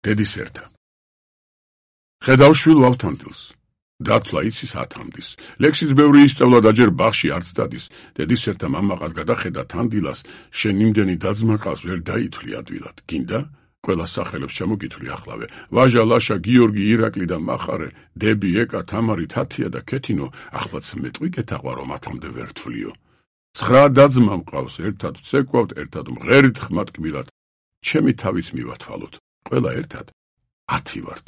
დედის ერთა. ხედავ შვილ ვავთანდილს. დათვლა იცის ათამდის. ლექსის ბევრი ისწავლა და ჯერ ბაღში არც დადის. დედის ერთა მამაყად გადახედა თანდილას, შენ იმდენი დაძმა ყავს ვერ დაითვლი ადვილად. გინდა? ყველა სახელებს ჩამოგითვლი ახლავე. ვაჟა, ლაშა, გიორგი, ირაკლი და მახარე, დები, ეკა, თამარი, თათია და ქეთინო, ახლაც მეტყვი კეთაღვა რომ ათამდე ვერ თვლიო. 9 დაძმა მყავს, ერთად ვცეკვავთ, ერთად მღერით ხმატკბილად. ჩემი თავის მივათვალოთ. ყველა ერთად 10 ვართ.